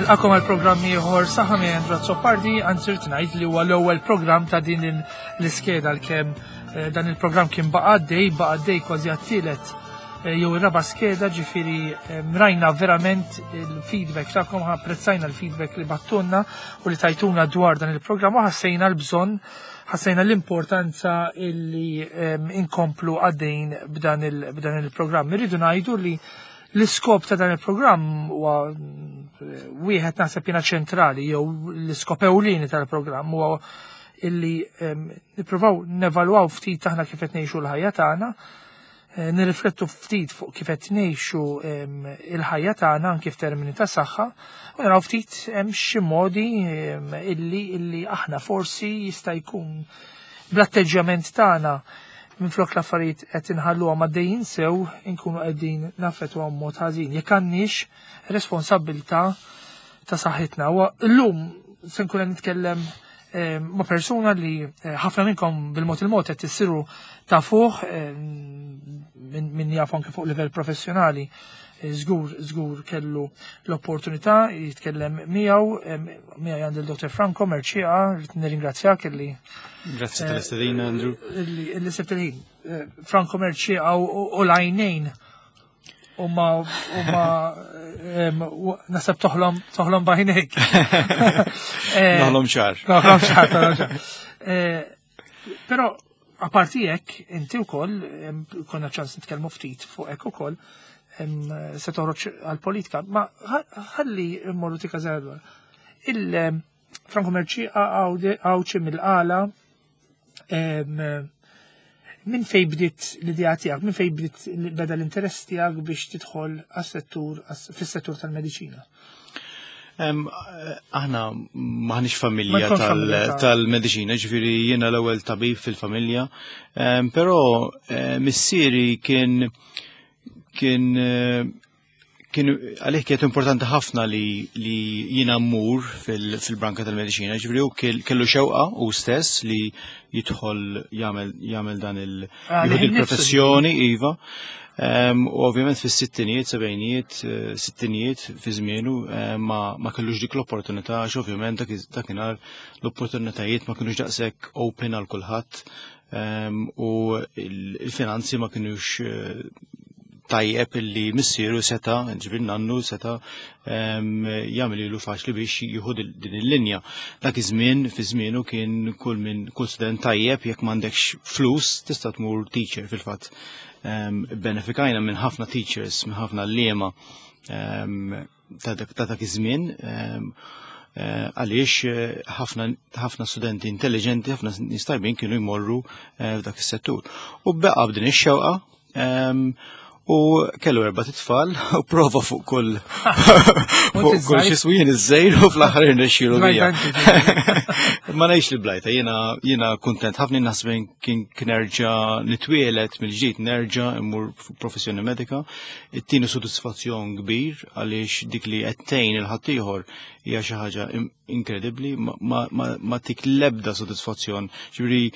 Nilqakom għal programm ieħor saħħa minn Andrew Azzopardi, anzi rrid ngħid li huwa l-ewwel programm ta' din l-iskeda għalkemm eh, dan il-programm kien baqa' għaddej, baqa' għaddej kważi għat-tielet eh, jew ir-raba' skeda, ġifieri eh, rajna verament il-feedback tagħkom, apprezzajna l-feedback li battunna u li tajtuna dwar dan il-programm u ħassejna l-bżonn ħassejna l-importanza illi inkomplu għaddejn b'dan il-programm. Irridu ngħidu li l-iskop ta' dan il-programm huwa eh, wieħed naħseb jiena ċentrali jew l-iskop ewlieni tal-programm huwa illi nippruvaw nevalwaw ftit aħna kif qed ngħixu l-ħajja tagħna, eh, nirriflettu ftit fuq kif qed ngħixu il-ħajja tagħna anki f'termini ta' saħħa, u naraw ftit hemm xi modi illi illi aħna forsi jista' jkun bl-atteġġjament tagħna minflok l-affarijiet qed inħalluhom għaddejjin sew inkunu qegħdin naffettwahom mod ħażin. Jekk għandniex responsabbiltà ta' saħħitna. U llum se nkun qed nitkellem eh, ma' persuna li eh, ħafna minnkom bil-mod il-mod qed tissiru tafuh eh, min jaf anke fuq livell professjonali żgur żgur kellu l-opportunità jitkellem miegħu miegħi għandi l-Dr. Franco Mercieca, rrid nirringrazzjak illi Grazzi tal-istedina, Andrew. Illi sibt il-ħin. Franco Mercieca u l-għajnejn u ma u ma nasab toħlom toħlom bajnejk. Noħlom ċar. Noħlom ċar, noħlom ċar. Però apparti hekk, inti wkoll konna ċans nitkellmu ftit fuq hekk ukoll se toħroġ għall-politika, ma ħalli mmorru tika żgħar. Il-Franco Mercieca Għawdxi mill-Qala minn fej bdiet l-idea tiegħek, minn fej bdiet beda l-interess tiegħek biex tidħol għas-settur fis-settur tal-mediċina? Aħna maħniex familja tal-mediċina, ġifieri jiena l-ewwel tabib fil-familja, però eh, missieri kien kien eh, kien għalih kienet importanti ħafna li, li jiena mmur fil-branka fil tal-mediċina, ġifieri hu kellu xewqa u stess li jidħol jagħmel dan ah, il-professjoni iva. U ovvjament fis-sittinijiet, sebgħinijiet, eh, sittinijiet fi żmienu eh, ma, ma kellux dik l-opportunità għax ovvjament dakinhar l-opportunitajiet ma kinux daqshekk open għal kulħadd u il-finanzi ma kinux eh, tajjeb illi missieru seta, ġifir nannu seta jagħmel ilu faċli biex jieħu din il-linja. Dak iż-żmien fi żmienu kien kull minn kull student tajjeb jekk m'għandekx flus tista' tmur teacher fil-fatt. Benefikajna minn ħafna teachers, minn ħafna liema ta' dak iż-żmien eh, għaliex eh, ħafna studenti intelligenti, ħafna nies tajbin kienu jmorru eh, f'dak is-settur. U beqa' b'din ix-xewqa u kellu erba' titfal u prova fuq kull fuq kull xi swien iż-żejr u fl-aħħar irnexxielu bija. Ma ngħidx li blajta, jiena jiena kuntent ħafna naħseb kien nerġa' nitwielet mill-ġdid nerġa' immur professjoni medika. It-tieni sodisfazzjon kbir għaliex dik li qed tgħin il-ħaddieħor hija xi ħaġa inkredibbli ma, ma, ma tik l-ebda sodisfazzjon. Ġifieri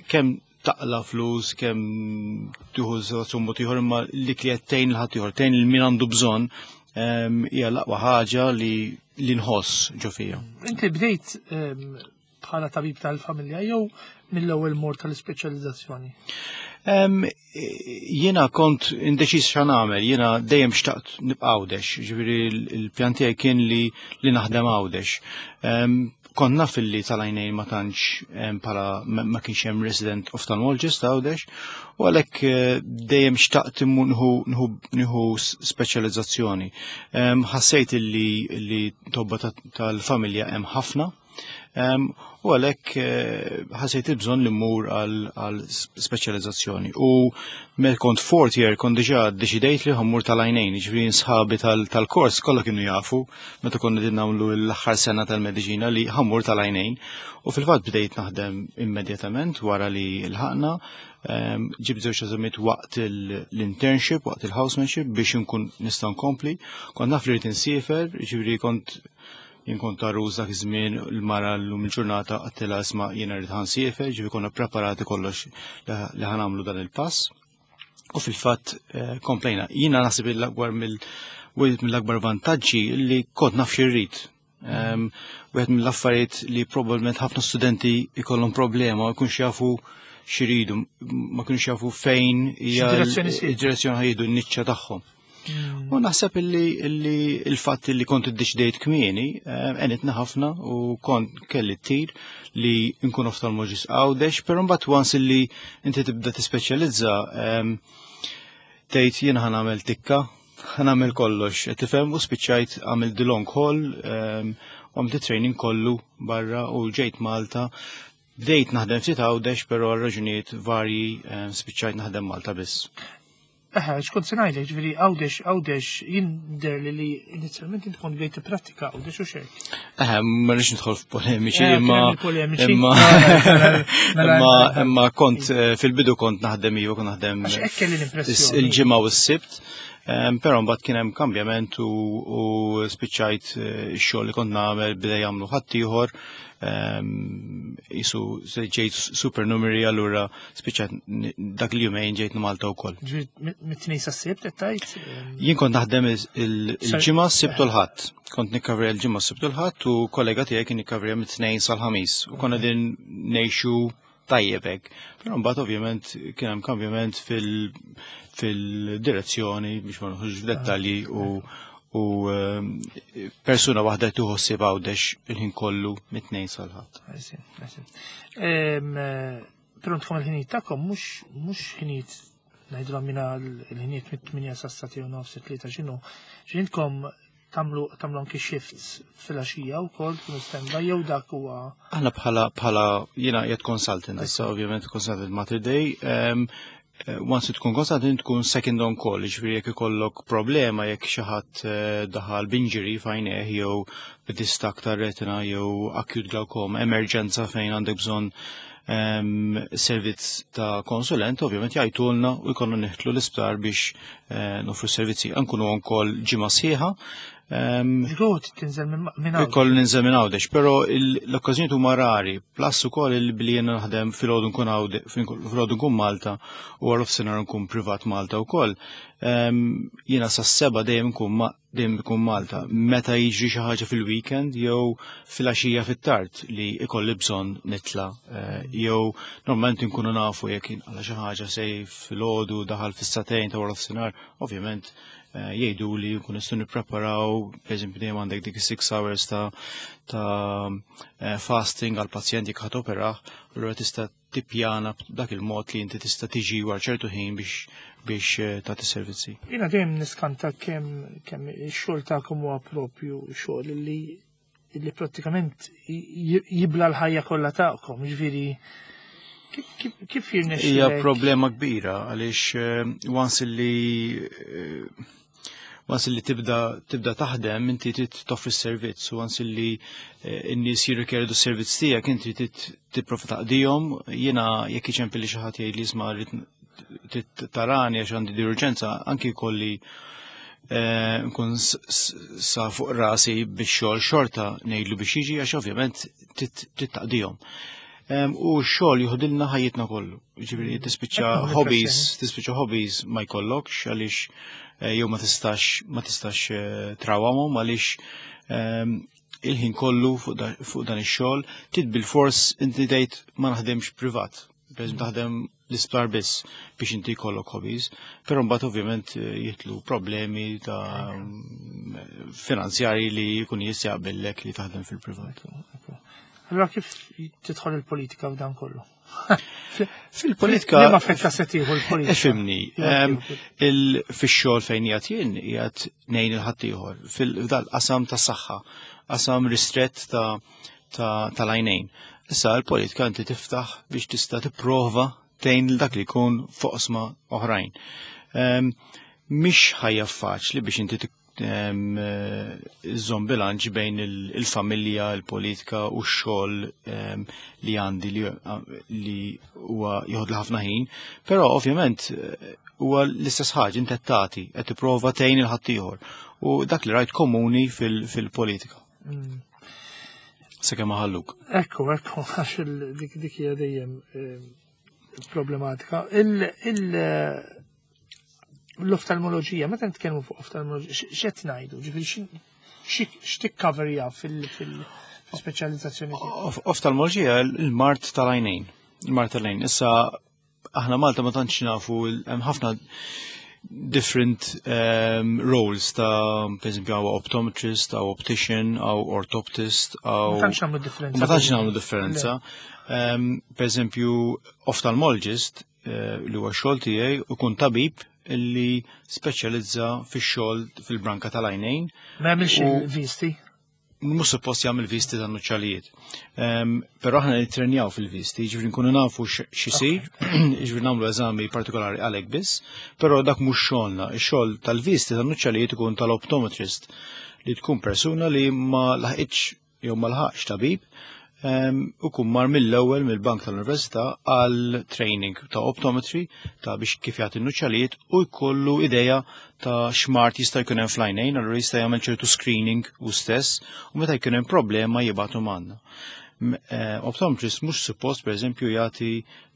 kemm taqla flus, kemm tieħu sodisfazzjon mod ieħor imma li qed tgħin il-ħaddieħor, tgħin lil min għandu bżonn ehm, hija l-aqwa ħaġa li li nħoss ġo fija. Inti bdejt ehm, bħala tabib tal-familja jew mill-ewwel mor tal-ispeċjalizzazzjoni? Ehm, jiena kont indeċiż xa nagħmel, jiena dejjem xtaqt nibqa' Għawdex, ġifieri l-pjan tiegħi kien li li naħdem Għawdex. Kont naf illi tal-għajnejn ma tantx bħala ma kienx hemm resident ophthalmologist Għawdex, u għalhekk eh, dejjem xtaqt nieħu speċjalizzazzjoni. Ħassejt illi li tobba tal-familja hemm ħafna U għalhekk eh, ħasejt il-bżonn li mmur għal speċjalizzazzjoni. U meta kont fourth year kont diġà deċidejt li ħammur tal-għajnejn, ġifieri sħabi tal-kors kollha kienu jafu meta konna din nagħmlu l-aħħar sena tal-mediċina li ħammur tal-għajnejn. U fil-fatt bdejt naħdem immedjatament wara li l-ħaqna, ġibt żewġ eżamiet waqt l-internship, waqt il-housemanship biex nkun nista' nkompli. Kont naf li rrid insiefer, ġifieri kont Jien kont għarus dak iż-żmien l-mara llum il-ġurnata għattilha isma' jiena rrid ħansiefer, ġifi konna preparati kollox li ħanamlu dan il-pass. U fil-fatt eh, komplejna. Jiena naħseb il-akbar mill Wieħed mill-akbar vantaġġi li kont naf xirrid. Wieħed mill-affarijiet li probabbilment ħafna studenti jkollhom problema ma jkunx jafu xiridu, ma kienux jafu fejn hija X'direzzjoni id-direzzjoni ħajdu n-niċċa tagħhom. U naħseb illi il-fatt li kont iddeċidejt kmieni għenitna ħafna u kont kelli t-tir li nkun oftalmologist Għawdex, però mbagħad once illi inti tibda tispeċjalizza tgħid jien ħa nagħmel tikka, ħa nagħmel kollox, qed tifhem u spiċċajt għamil the long haul, u għamilt training kollu barra u ġejt Malta. Bdejt naħdem ftit Għawdex, però għal raġunijiet varji spiċċajt naħdem Malta biss. Eħe, xkont se ngħidlek, ġifieri Għawdex jidher li inizjalment inti kont bdejt tipprattika Għawdex u xejn. Eħe, ma rridx nidħol f'polemiċi, Kien imma hemm il-polemiċi. imma Mela, imma imma kont fil-bidu kont naħdem iva, kont naħdem Għax hekk kelli l-impressjoni. il-ġimgħa u s-sibt, però mbagħad kien hemm kambjament u spiċċajt ix-xogħol li kont nagħmel beda jagħmlu ħaddieħor, jisu ġejt supernumerary allura spiċċajt dak il-jumejn ġejt Malta wkoll. Ġifieri mit-tnejn sas-sibt qed tgħid? Jien kont naħdem il-ġimgħa s-sibt u l-ħadd. Kont nikkavrja l-ġimgħa s-sibt u l-ħadd u kollega tiegħi kien nikkavrja mit-tnejn sal-ħamis u konna din ngħixu tajjeb hekk. Però mbagħad ovvjament kien hemm kambjament fil-direzzjoni biex ma nħux f'dettalji u persuna waħda tieħu ħsieb Għawdex il-ħin kollu mit-tnejn sal-ħadd. I see, I see. Però intkom il-ħinijiet tagħkom mhux ħinijiet ngħidulhom mina l-ħinijiet mit-8 sa' u nofs it-tlieta x'inhu. X'intkom tagħmlu anki shifts fil-għaxija wkoll tkunu standby jew dak huwa Aħna bħala jiena qiegħed consultant, issa ovvjament consultant Mater Dei, once tkun consultant tkun second on call, ġifieri jekk ikollok problema jekk xi ħadd daħal b'injury f'għajnejh jew b'distak tar-retina jew acute glaucoma, emerġenza fejn għandek bżonn servizz ta' konsulent, ovvjament jgħidulna u jkollna neħtlu l-isptar biex nofru servizzi. Nkunu on call ġimgħa sħiħa. Żgur tinżel minn Għawdex. Ikollu ninżel minn Għawdex, però l-okkażjonijiet huma rari, plus ukoll il-billi jiena naħdem filgħodu nkun Għawdex, filgħodu nkun Malta u wara nofsinhar nkun privat Malta wkoll. Jiena sas-7 dejjem nkun dejjem nkun Malta. Meta jiġri xi ħaġa fil-weekend jew fil-għaxija fit-tard li ikolli bżonn nitla, jew normalment inkunu nafu jekk inqala xi ħaġa sej filgħodu daħal fis-satejn ta' wara nofsinhar, ovvjament jgħidu li nkun nistgħu nippreparaw, pereżempju dejjem għandek dik 6 hours ta' fasting għal pazjent jekk ħadd operah, allura tista' tippjana b'dak il-mod li inti tista' tiġi wara ċertu ħin biex tagħti servizzi. Jiena dejjem niskanta kemm ix-xogħol tagħkom huwa propju xogħol li prattikament jibla l-ħajja kollha tagħkom, jiġifieri kif jirnexxilek? Hija problema kbira għaliex once li tibda taħdem inti trid toffri s-servizz u once li n-nies jirrikjedu s-servizz tiegħek inti trid tipprova taqdihom. Jiena jekk iċempilli xi ħadd jgħid li isma' rrid tarani għax għandi di urġenza, anki jkolli nkun sa fuq rasi biex xogħol xorta ngħidlu biex jiġi għax ovvjament trid taqdihom. U x-xogħol joħodilna ħajjitna kollu. Ġifieri tispiċċa Ekku, hobbies, impressjoni. tispiċċa hobbies ma jkollokx għaliex jew ma tistax trawamhom għaliex il-ħin kollu fuq dan ix-xogħol trid bil-fors inti tgħid ma naħdemx privat. Pereżempju taħdem l-isptar biss biex inti jkollok hobbies, però mbagħad ovvjament jitlu problemi ta' finanzjari li jkun jistaqbillek li taħdem fil-privat. Allora kif tidħol il-politika f'dan kollu? Fil-politika. Liema fetta se tieħu l-politika? Ifhimni, Liema tieħu l-politika? fix-xogħol fejn qiegħed jien qiegħed ngħin il-ħaddieħor fil-qasam tas-saħħa, qasam ristrett tal-għajnejn. Issa l-politika inti tiftaħ biex tista' tipprova tgħin lil dak li jkun foqsma oħrajn. Mhix ħajja faċli biex inti iżżomm bilanċ bejn il-familja, il-politika u x-xogħol li għandi li huwa joħod ħafna ħin, però ovvjament huwa l-istess ħaġa inti qed tagħti, qed tipprova tgħin il-ħaddieħor u dak li rajt komuni fil-politika. Sakemm ħalluk. Ekku, ekku, għax dik hija dejjem problematika. L-oftalmoloġija, meta nitkellmu fuq oftalmoloġija, x'qed ngħidu? Ġifieri x'tikkaverja fil-speċjalizzazzjoni tiegħek? Oftalmoloġija il-mard tal-għajnejn. Il-mard tal-għajnejn. Issa aħna Malta ma tantx nafu hemm ħafna different roles ta' per eżempju għaw optometrist, għaw optician, għaw orthoptist, għaw. Ma tantx nagħmlu differenza. Ma tantx nagħmlu differenza. Per eżempju, ophthalmologist li huwa xogħol tiegħi ikun tabib illi speċjalizza fix-xogħol fil-branka tal-għajnejn. Ma jagħmilx il-visti? Mhux suppost jagħmel visti tan nuċċalijiet. Però aħna nittrenjaw fil-visti, jiġifieri nkunu nafu x'isir, jiġifieri nagħmlu eżami partikolari għalhekk biss, però dak mhux xogħolna. Ix-xogħol tal-visti tan nuċċalijiet ikun tal-optometrist li tkun persuna li ma laħqitx jew ma laħaqx tabib u kun mar mill-ewwel mill-bank tal-università għal training ta' optometry ta' biex kif jagħti n-nuċċalijiet u jkollu ideja ta' x'mard jista' jkun hemm fl-għajnejn, allura jista' jagħmel ċertu screening u stess u meta jkun hemm problema jibgħatu magħna. Optometrist mhux suppost pereżempju jagħti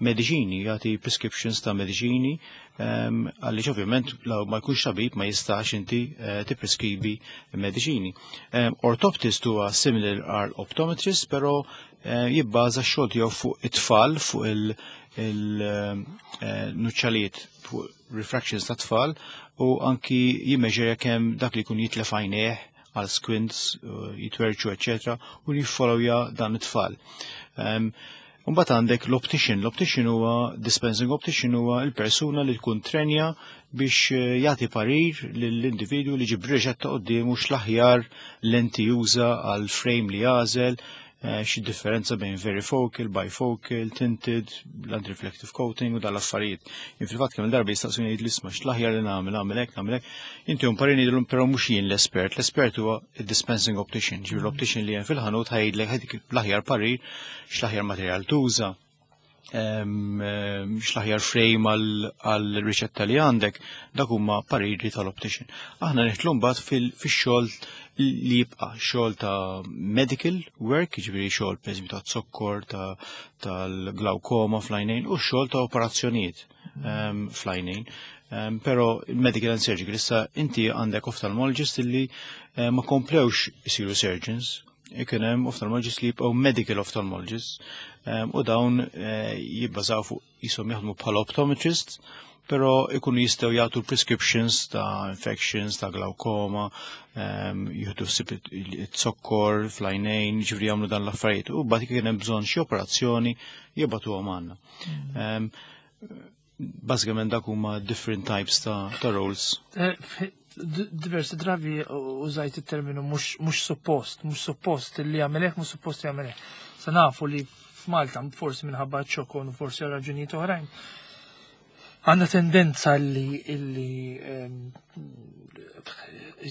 mediċini, jagħti prescriptions ta' mediċini, għaliex ovvjament law ma jkunx tabib ma jistax inti tippreskribi mediċini. Orthoptist huwa similar għal optometrist, però jibbaża x-xogħol tiegħu fuq it-tfal, fuq il-nuċċalijiet, fuq refractions ta' tfal, u anki jimmeġerja kemm dak li jkun jitlef għajnejh għal squints, jitwerċu, eccetera, u jiffollowja dan it-tfal. Mbagħad għandek l-optician. L-optician huwa dispensing optician huwa l-persuna li tkun trenja biex jagħti parir lill-individwu li ġib riċetta quddiemu x'l-aħjar lenti juża għal frame li jagħżel, xi differenza bejn varifocal, bifocal, tinted, l-anti-reflective coating u dal-affarijiet. Jien fil-fatt kemm darba jistaqsuni jgħid l-isma' x'l-aħjar li nagħmel, nagħmel hekk, nagħmel hekk. Inti un parir ngħidilhom però mhux jien l-espert, l-espert huwa id-dispensing optician, ġifieri l-optician li hemm fil-ħanut ħajdlek ħadik l-aħjar parir x'l-aħjar materjal tuża, x'l-aħjar frame għal riċetta li għandek, dak huma pariri tal-optician. Aħna nidħlu mbagħad fix-xogħol li jibqa' xogħol ta' medical work, jiġifieri xogħol pereżempju ta' zokkor, tal-glaukoma fl-għajnejn u xogħol ta' operazzjonijiet fl-għajnejn. Però medical and surgical, issa inti għandek ophthalmologist illi ma komplewx isiru surgeons, ikun hemm ophthalmologists li jibqgħu medical ophthalmologists, u dawn jibbażaw fuq jisom jaħdmu bħala optometrists, però ikunu jistgħu jagħtu prescriptions ta' infections, ta' glaukoma, jieħdu ħsieb it-zokkor fl-għajnejn, ġifieri jagħmlu dan l-affarijiet, u mbagħad kien hemm bżonn xi operazzjoni jibgħatuhom għandna. Bażikament dak huma different types ta' roles. Diversi drabi użajt it-terminu mhux suppost, mhux suppost li jagħmel hekk, mhux suppost li jagħmel hekk. Sa nafu li f'Malta, forsi minħabba ċokon, forsi għal raġunijiet oħrajn, għandna tendenza li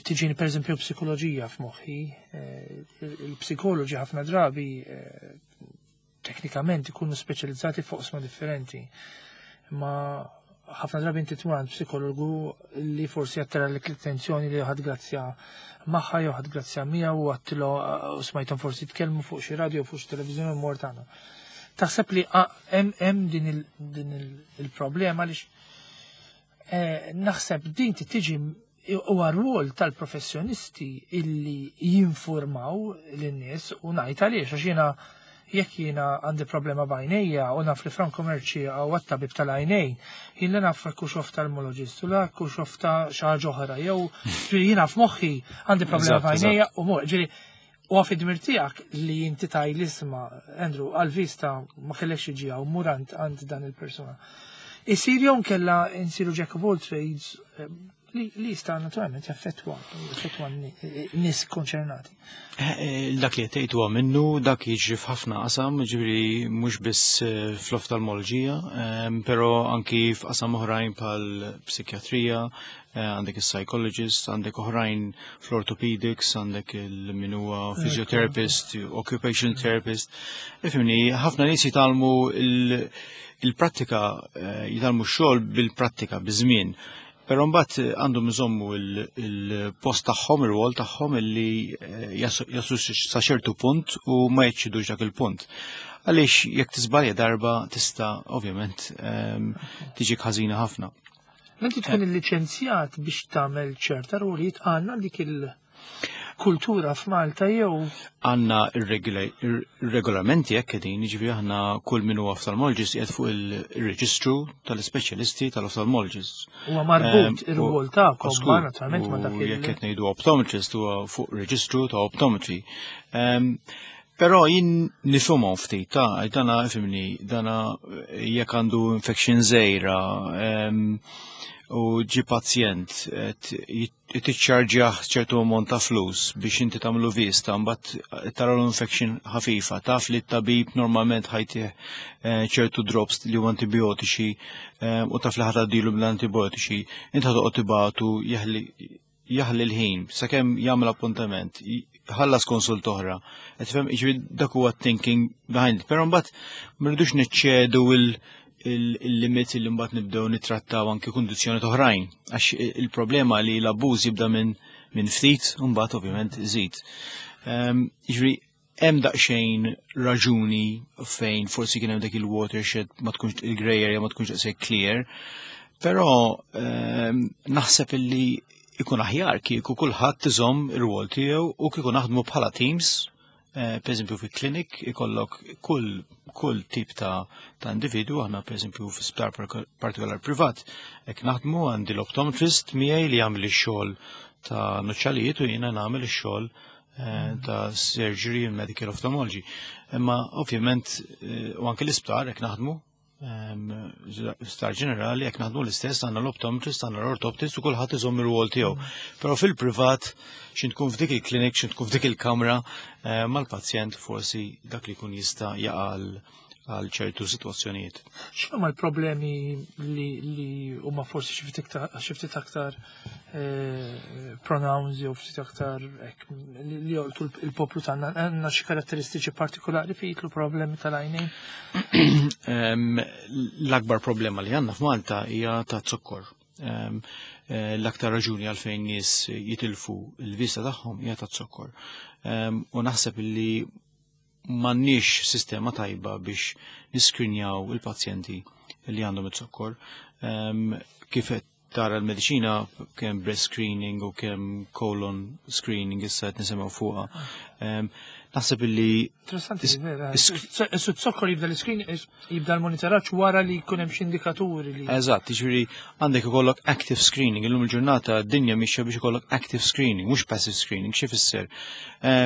tiġini per eżempju psikoloġija f'moħħi, il-psikoloġi ħafna drabi teknikament ikunu speċjalizzati fuq oqsma differenti. Ma ħafna drabi inti tmur għand psikologu li forsi jattira l attenzjoni li ħad grazzja magħha jew ħad grazzja miegħu u għattilu u smajthom forsi tkellmu fuq xi radio fuq xi televiżjoni u mort għandha. Taħseb li hemm din il-problema għaliex naħseb din tiġi huwa rwol tal-professjonisti illi jinformaw lin-nies u ngħid għaliex għax jiena jekk jiena għandi problema b'għajnejja u naf li Franco Mercieca u għat-tabib tal-għajnejn, jien li naf kux oftalmologist u la kux ofta xi ħaġa oħra, jew ġifieri jiena f'moħħi għandi problema b'għajnejja u mor, ġifieri u għaf id-dmir tiegħek li inti taj l-isma, Andrew, għal-vista ma kellekx iġi hawn, mur għand dan il-persuna. Isir jew nkella nsiru jack of all trades li jista' naturalment jaffettwa n-nies konċernati. Dak li qed huwa minnu, dak jiġri f'ħafna qasam, ġifieri mhux biss fl-oftalmoloġija, però anki f'qasam oħrajn bħal psikjatrija, għandek il-psychologist, għandek oħrajn fl-orthopedics, għandek il-min huwa physiotherapist, occupational therapist. Ifhimni, ħafna nies jitgħallmu il-prattika, jitgħallmu x-xogħol bil-prattika, biż-żmien. Però mbagħad għandhom iżommu il-post tagħhom, ir-rwol tagħhom illi jaslu sa ċertu punt u ma jeċċidux dak il-punt. Għaliex jekk tiżbalja darba tista' ovvjament tiġik ħażina ħafna. Inti tkun illiċenzjat biex tagħmel ċerta rwolijiet, għandna dik il-kultura f'Malta jew? Għandna ir-regolamenti hekk qegħdin, jiġifieri aħna kull min huwa ophthalmologist qiegħed fuq il-reġistru tal-ispeċjalisti tal-ophthalmologists. Huwa marbut ir-rwol tagħkom ma naturalment ma dak il- Jekk qed ngħidu optometrist huwa fuq reġistru ta' optometry. Però jien nifhimhom ftit ta' dana fimni, dana jekk għandu infection żgħira u ġi pazjent tiċċarġjah ċertu ammont ta' flus biex inti tagħmlu vista, mbagħad tara l-infection ħafifa, taf li t-tabib normalment ħajtih ċertu drops li huma antibiotiċi u taf li ħatgħaddilu bl-antibiotiċi, inti ħatoqgħod tibatu jaħli jaħli l-ħin sakemm jagħmel appuntament, ħallas konsult oħra. Qed tifhem, jiġifieri dak huwa thinking behind it. Però mbagħad ma rridux niċċedu il-limit li mbagħad nibdew nittrattaw anke kundizzjoni oħrajn. Għax il-problema li l-abbuż jibda minn ftit u mbagħad ovvjament iżid. Jiġifieri hemm daqsxejn raġuni fejn forsi kien hemm dak il-watershed ma tkunx il-grey area ma tkunx daqshekk clear, però naħseb illi ikun aħjar kieku kulħadd iżomm ir-rwol tiegħu u kieku naħdmu bħala teams, per eżempju fi klinik ikollok kull tip ta' individu, aħna per eżempju fi sptar partikolar privat, hekk naħdmu għandi l-optometrist miegħi li jagħmel ix-xogħol ta' nuċċalijiet u jiena nagħmel ix-xogħol ta' surgery and medical ophthalmology. Imma ovvjament u anke l-isptar hekk naħdmu, sptar ġenerali jekk naħdmu l-istess, għandna l-optometrist, għandna l-ortoptist u kulħadd iżomm ir-rwol tiegħu. Però fil-privat xi tkun f'dik il-klinik, xi tkun f'dik il-kamra mal-pazjent forsi dak li jkun jista' jaqa' għal ċertu sitwazzjonijiet. X'inhuma l-problemi li huma forsi xi ftit aktar pronounced jew ftit aktar hekk li jolqtu il-poplu tagħna? Għandna xi karatteristiċi partikolari fejn jidħlu problemi tal-għajnejn? L-akbar problema li għandna f'Malta hija ta' zokkor. L-aktar raġuni għalfejn nies jitilfu l-vista tagħhom hija ta' zokkor. U naħseb li m'għandniex sistema tajba biex niskrinjaw il-pazjenti li għandhom it-zokkor. Kif qed tara l-mediċina kemm breast screening u kemm colon screening issa qed nisimgħu fuqha. Naħseb illi Interessanti, vera. Issu zokkor jibda l-screen, jibda l-monitoraġġ wara li jkun hemm xi indikaturi li. Eżatt, jiġifieri għandek ikollok active screening. Illum il-ġurnata d-dinja mixja biex ikollok active screening, mhux passive screening. Xi fisser?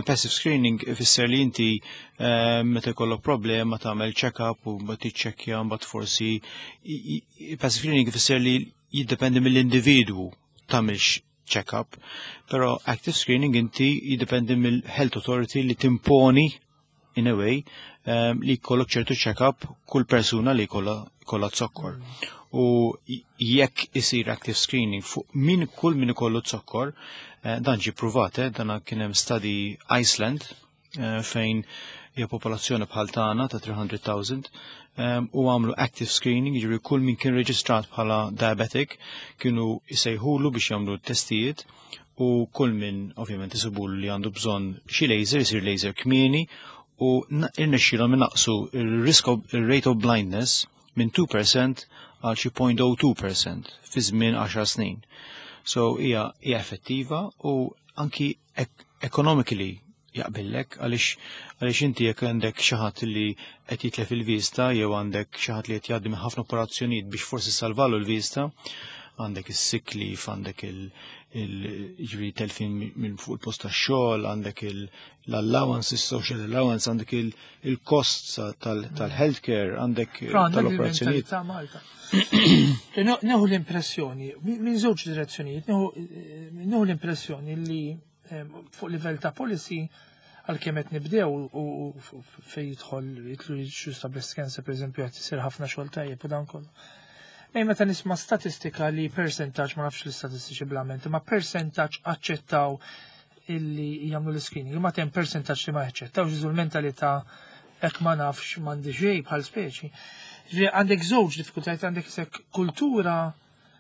Passive screening ifisser li inti meta jkollok problema tagħmel check-up u mbagħad tiċċekkja, mbagħad forsi passive screening ifisser li jiddependi mill-individwu tagħmilx check-up, però active screening inti jiddependi mill-health authority li timponi in a way li jkollok ċertu check-up kull persuna li kollha zokkor. U jekk isir active screening fuq min kull min ikollu zokkor, dan ġi pruvat, dan kien hemm study Iceland, fejn hija popolazzjoni bħal tagħna ta' 300,000, u għamlu active screening, jiġifieri kull min kien reġistrat bħala diabetic kienu jsejħulu biex jagħmlu testijiet, u kull min ovvjament isibulu li għandu bżonn xi laser, isir laser kmieni, u irnexxielhom inaqqsu il-risk of, il-rate of blindness minn 2% għal xi 0.02% fi żmien 10 snin. So hija effettiva u anki economically jaqbillek, għaliex inti jekk għandek xi ħadd li qed jitlef il-vista jew għandek xi ħadd li qed jgħaddi minn ħafna operazzjonijiet biex forsi salvalu l-vista, għandek is-sick leave, għandek il-ġifieri telfin minn fuq il-post tax-xogħol, għandek l-allowance, il-social allowance, għandek il-costs tal-healthcare, għandek Però għandek tal-operazzjonijiet. il-mentalità Malta. Neħu l-impressjoni, minn żewġ direzzjonijiet, neħu l-impressjoni li fuq livell ta' policy għalkemm qed nibdew u fejn jidħol jidħlu issues ta' breast cancer, per eżempju, qed isir ħafna xogħol tajjeb u dan kollu. Ej, meta nisma' statistika li percentaġġ, ma nafx l-istatistiċi bl-amment, ma percentaġġ aċċettaw illi jagħmlu l-screening, imma hemm percentaġġ li ma jaċċettawx, iżu l-mentalità hekk ma nafx m'għandi xejn bħal speċi. Ġifieri għandek żewġ diffikultajiet, għandek isek kultura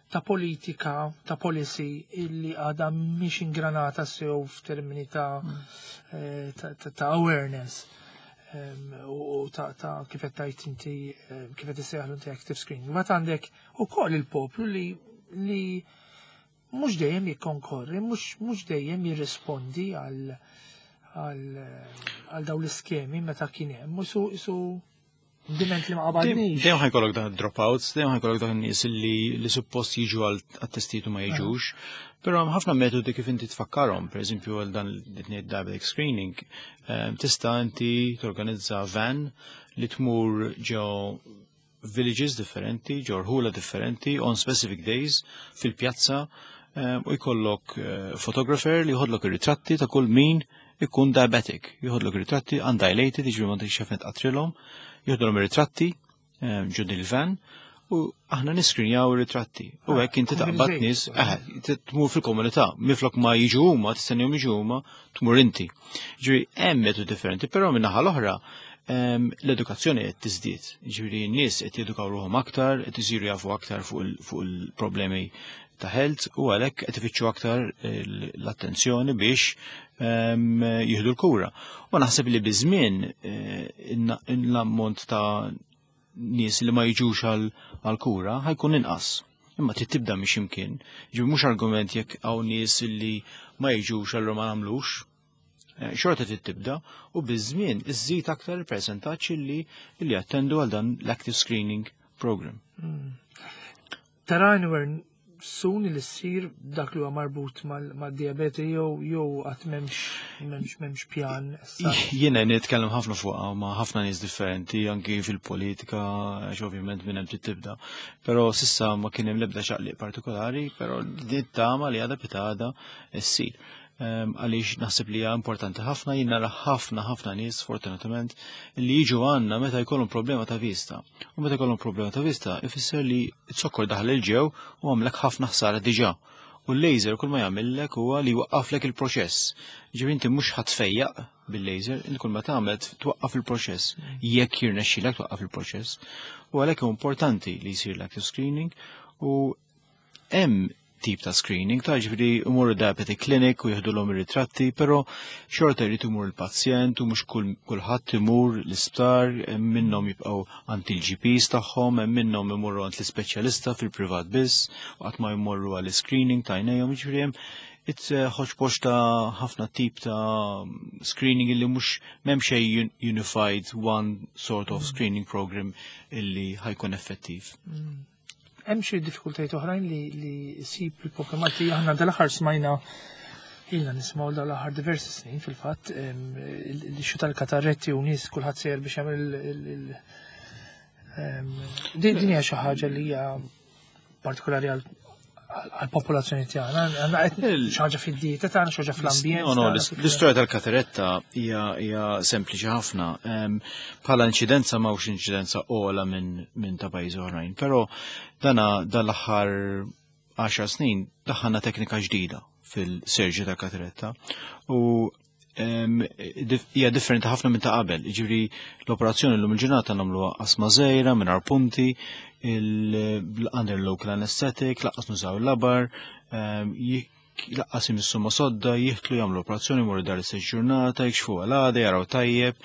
ta' politika, ta' policy illi għadha mhix ingranata sew f'termini ta' awareness. U ta' kif qed tgħid inti, kif qed issejjaħlu inti active screening. Mbagħad għandek ukoll il-poplu li li mhux dejjem jikkonkorri, mhux dejjem jirrispondi għal dawn l-iskemi meta kien hemm, u isu diment li ma qabadniex. Dejjem ħa jkollok dan dropouts, dejjem ħa jkollok dan nies li suppost jiġu għal testijiet u ma jiġux. Però hemm ħafna metodi kif inti tfakkarhom, pereżempju għal dan diabetic screening, tista' inti torganizza van li tmur ġo villages differenti, ġo rħula differenti, on specific days, fil-pjazza, u jkollok photographer li jħodlok ir-ritratti ta' kull min ikun diabetic. Jħodlok ir-ritratti undilated, jiġifieri ma tix xefnet qatrilhom, jħodlhom ir-ritratti ġo il-van u aħna niskrinjaw ir-ritratti. U hekk inti taqbad nies, tmur fil-komunità, miflok ma jiġu huma, tistennihom jiġu huma, tmur inti. Ġifieri hemm metodi differenti, però min-naħa l-oħra l-edukazzjoni qed tiżdied. Ġifieri n-nies qed jedukaw ruħhom aktar, qed isiru jafu aktar fuq il-problemi ta' health u għalhekk qed ifittxu aktar l-attenzjoni biex jieħdu l-kura. U naħseb li biż-żmien l-ammont ta' nies li ma jiġux għal-kura ħa jkun inqas. Imma trid tibda minn x'imkien. Ġifieri mhux argument jekk hawn nies li ma jiġux allura ma nagħmlux. Xorta trid tibda u biż-żmien iżżid aktar il-percentaġġ li attendu għal dan l-active screening program. Tara anywhere soon li ssir dak li huwa marbut mad-diabete jew qatt m'hemmx pjan issa? Jiena nitkellem ħafna fuqha ma' ħafna nies differenti anki fil-politika, għax ovvjament minn hemm trid tibda. Però s'issa ma kien hemm l-ebda ċaqliq partikolari, però din tama li għada pitgħada ssir. Għaliex naħseb li hija importanti ħafna, jien nara ħafna ħafna nies fortunatament li jiġu għandna meta jkollhom problema ta' vista. U meta jkollhom problema ta' vista ifisser li z-zokkor daħal 'il ġew u għamlek ħafna ħsara diġà. U l-laser kull ma jagħmellek huwa li jwaqqaflek il-proċess. Ġifieri inti mhux ħa tfejjaq bil-laser, inti kull ma tagħmel twaqqaf il-proċess. Jekk jirnexxilek twaqqaf il-proċess. U għalhekk hu importanti li jsir l-active screening u hemm tip ta' screening, ta' ġifieri imorru diabetic clinic u jieħdulhom ir-ritratti, però xorta jrid imur il-pazjent u mhux kulħadd imur l-isptar, hemm minnhom jibqgħu għand il-GPs tagħhom, hemm minnhom imorru għand l-ispeċjalista fil-privat biss, u qatt ma jmorru għall screening ta' għajnejhom, ġifieri hemm it's hodgepodge ta' ħafna tip ta' screening illi mhux m'hemm xejn unified one sort of screening program illi ħa jkun effettiv. Hemm xi diffikultajiet oħrajn li ssib il-poplu Malti? Aħna dal-aħħar smajna, ilna nismgħu dal-aħħar diversi snin fil-fatt, l-issue tal-katarretti u nies kulħadd sejjer biex jagħmel din hija xi ħaġa li hija partikolari għal-popolazzjoni tagħna. Għandna qed xi ħaġa fid-dieta tagħna, xi ħaġa fl-ambjent No, tagħna, l-istorja tal-kataretta hija sempliċi ħafna. Bħala inċidenza m'hawnx inċidenza ogħla minn ta' pajjiżi oħrajn, però dana dal-aħħar 10 snin daħħalna teknika ġdida fil-surgery tal-kataretta u hija differenti ħafna minn ta' qabel. Jiġifieri l-operazzjoni llum il-ġurnata nagħmluha qasma żgħira mingħajr punti, under local anesthetic, lanqas nużaw il-labar, lanqas imissu ma' sodda, jiħtlu jagħmlu operazzjoni, jmorru dar istess ġurnata, jikxfu għal-għada, jaraw tajjeb,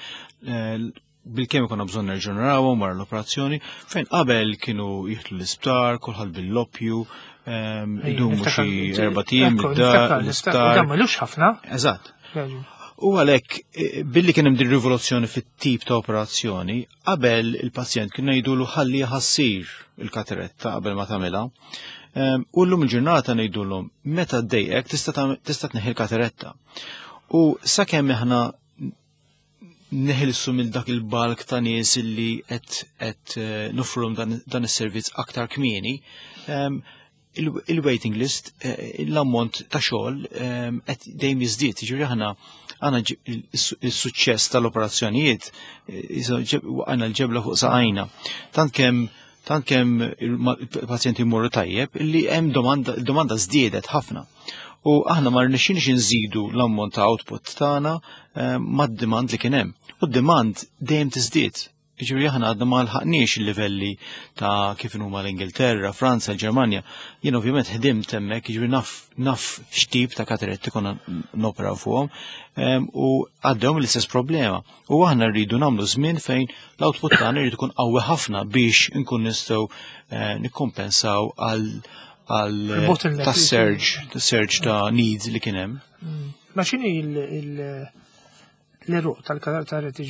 bil-kemm ikonna bżonn nerġgħu narawhom wara l-operazzjoni, fejn qabel kienu jiħtlu l-isptar, kulħadd bil-loppju, idumu xi 4 ijiem id-dar, l-isptar. Dan m'ilux ħafna. Eżatt. Veru. U għalhekk, billi kien hemm din rivoluzzjoni fit-tip ta' operazzjoni, qabel il-pazjent kien ngħidulu ħalli ħassir il-kataretta qabel ma tagħmilha. U llum il-ġurnata ngħidulhom meta ddejqek tista' tneħħi l-kataretta. U sakemm aħna neħilsu mill dak il-balk ta' nies illi qed nofrulhom dan is-servizz aktar kmieni, il-waiting list, l-ammont ta' xogħol qed dejjem jiżdied. Jiġifieri aħna għandna il-suċċess tal-operazzjonijiet, għandna l-ġebla fuq saqajna. Tant kemm il-pazjenti jmorru tajjeb illi hemm domanda, il-domanda żdiedet ħafna. U aħna ma rnexxinix inżidu l-ammont ta' output tagħna mad-demand li kien hemm. U d-demand dejjem tiżdied. Jiġifieri aħna għadna ma lħaqniex il-livelli ta' kif huma l-Ingilterra, Franza, l-Ġermanja. Jien ovvjament ħdimt hemmhekk, jiġifieri naf x'tip ta' kataretti konna noperaw fuqhom, u għaddewhom l-istess problema. U aħna rridu nagħmlu żmien fejn l-output tagħna jrid ikun qawwi ħafna biex inkun nistgħu nikkompensaw għal ta' surge, ta' surge ta' needs li kien hemm. Ma x'inhi l-eruq tal-kataretti,